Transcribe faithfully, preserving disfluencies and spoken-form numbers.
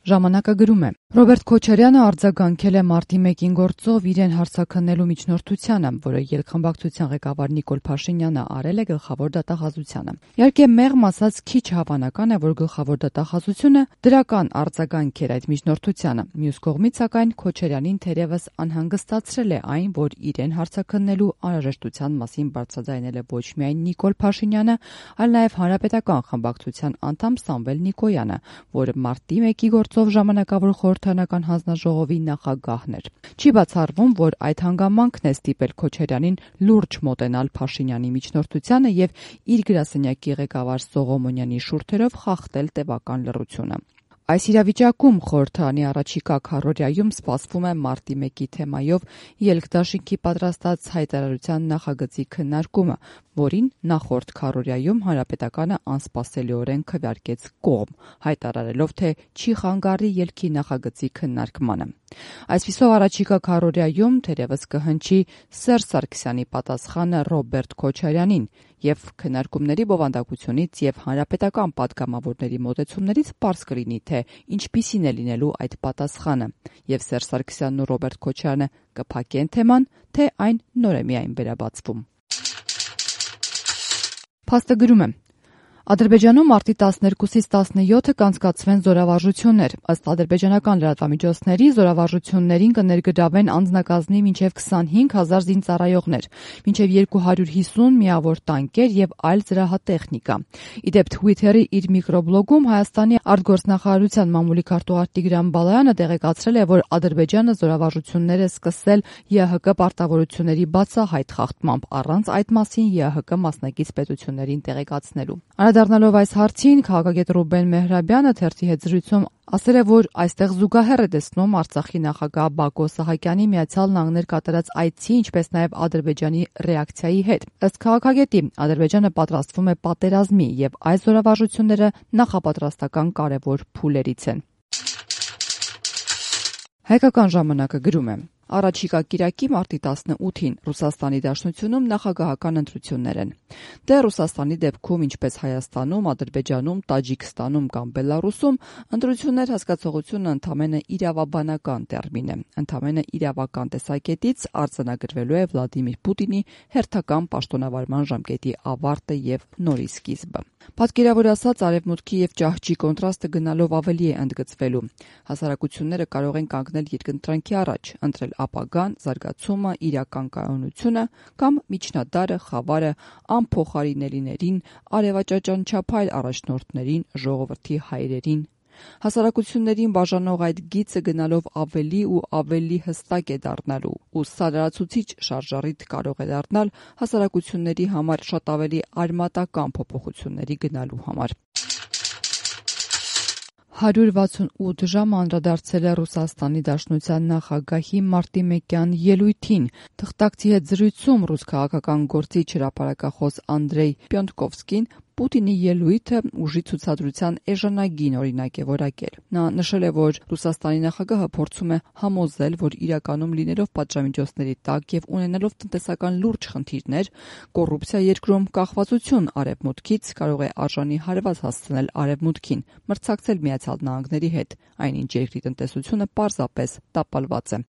Ժամանակը գրում է. Ռոբերտ Քոչարյանը արձագանքել է մարտի մեկին գործով իրեն հարձակնելու միջնորդությանը, որը ելքխմբակցության ղեկավար Նիկոլ Փաշինյանը արել է գլխավոր դատախազությանը։ Իհարկե, մեղմ ասած քիչ հավանական է, որ գլխավոր դատախազությունը դրական արձագանք էր այդ միջնորդությանը։ Մյուս կողմից, սակայն, Քոչարյանին թերևս անհանգստացրել է այն, որ իրեն հարձակնելու անհրաժեշտության մասին բարձրաձայնել է ոչ միայն Նիկոլ Փաշինյանը, այլ նաև Հանրապետական խմբակցության անդամ Սամվել Նիկոյանը, որը մարտի մեկի գործով ժամանակավոր խորհրդարանական հանձնաժողովի նախագահն էր։ Չի բացառվում, որ այդ հանգամանքն է ստիպել Քոչարյանին լուրջ մոտենալ Փաշինյանի միջնորդությանը եւ իր գրասենյակի ղեկավար Սողոմոնյանի շուրթերով խախտել տևական լռությունը։ Այս իրավիճակում խորհրդարանի առաջիկա քառօրյայում սպասվում է մարտի մեկի թեմայով ելքդաշինքի պատրաստած հայտարարության նախագծի քննարկումը, որին նախորդ քառօրյայում Հանրապետականը անսպասելիորեն քվեարկեց կողմ, հայտարարելով, թե չի խանգարի ելքի նախագծի քննարկմանը։ Այսպիսով առաջիկա քառօրյայում թերևս կհնչի Սերժ Սարգսյանի պատասխանը Ռոբերտ Քոչարյանին եւ քննարկումների բովանդակությունից եւ հանրապետական պատգամավորների մոտեցումներից պարզ կլինի, թե ինչպիսին է լինելու այդ պատասխանը, եւ Սերժ Սարգսյանն ու Ռոբերտ Քոչարյանը կփակեն թեման, թե այն նոր է միայն վերաբացվում։ Փաստը գրում է. Ադրբեջանում մարտի տասներկուսից տասնյոթը կանցկացվեն զորավարժություններ։ Ըստ ադրբեջանական լրատվամիջոցների, զորավարժություններին կներգրավեն անձնակազմի մինչև քսանհինգ հազար զինծառայողներ, մինչև երկու հարյուր հիսուն միավոր տանկեր եւ այլ զրահատեխնիկա։ Իդեպ Twitter-ի իր միկրոբլոգում Հայաստանի արտգործնախարարության մամուլի քարտուղար Տիգրան Բալայանը տեղեկացրել է, որ Ադրբեջանը զորավարժություններ է սկսել ԵՀԿ պարտավորությունների բացահայտ խախտմամբ, առանց այդ մասին ԵՀԿ մասնակից պետություններին տեղեկացնելու։ Անդրադառնալով այս հարցին, քաղաքագետ Ռուբեն Մեհրաբյանը թերթի հետ զրույցում ասել է, որ այստեղ զուգահեռ է տեսնում Արցախի նախագահ Բակո Սահակյանի Միացյալ Նահանգներ կատարած այցի, ինչպես նաև Ադրբեջանի ռեակցիայի հետ։ Ըստ քաղաքագետի, Ադրբեջանը պատրաստվում է պատերազմի եւ այս զորավարժությունները նախապատրաստական կարևոր փուլերից են։ Հայկական ժամանակը գրում է. Առաջիկա կիրակի մարտի տասնութին Ռուսաստանի Դաշնությունում նախագահական ընտրություններ են։ Դե Ռուսաստանի դեպքում, ինչպես Հայաստանում, Ադրբեջանում, Տաջիկստանում կամ Բելարուսում, ընտրություններ հասկացողությունը ընդամենը իրավաբանական տերմին է։ Ընդամենը իրավական տեսակետից արձանագրվելու է Վլադիմիր Պուտինի հերթական պաշտոնավարման ժամկետի ավարտը եւ նորի սկիզբը։ Պատկերավոր ասած, արևմուտքի եւ ճահճի կոնտրաստը գնալով ավելի է ընդգծվելու։ Հասարակությունները կարող են կանգնել երկընտրանքի առաջ, ընտրել ապագան, զարգացումը, իրական կայունությունը կամ միջնադարը, խավարը, անփոխարինելիներին, արևաճաճանչափայլ առաջնորդներին, ժողովրդի հայրերին։ Հասարակություններին բաժանող այդ գիծը գնալով ավելի ու ավելի հստակ է դառնալու, ու սա լրացուցիչ շարժառիթ կարող է դառնալ հասարակությունների համար շատ ավելի արմատական փոփոխությունների գնալու համար։ հարյուր վաթսունութ ժամ անդրադարձել է Ռուսաստանի Դաշնության նախագահի մարտի մեկյան ելույթին։ Թղթակցի հետ զրույցում ռուս քաղաքական գործիչ հրապարակախոս Անդրեյ Պյոնտկովսկին Պուտինի ելույթը ուժի ցուցադրության էժանագին օրինակ է որակել։ Նա նշել է, որ Ռուսաստանի նախագահը փորձում է համոզել, որ իրականում լինելով պատժամիջոցների տակ եւ ունենալով տնտեսական լուրջ խնդիրներ, կոռուպցիա երկրում կախվածություն արևմուտքից կարող է արժանի հարված հասցնել արևմուտքին, մրցակցել Միացյալ Նահանգների հետ, այնինչ երկրի տնտեսությունը պարզապես տապալված է։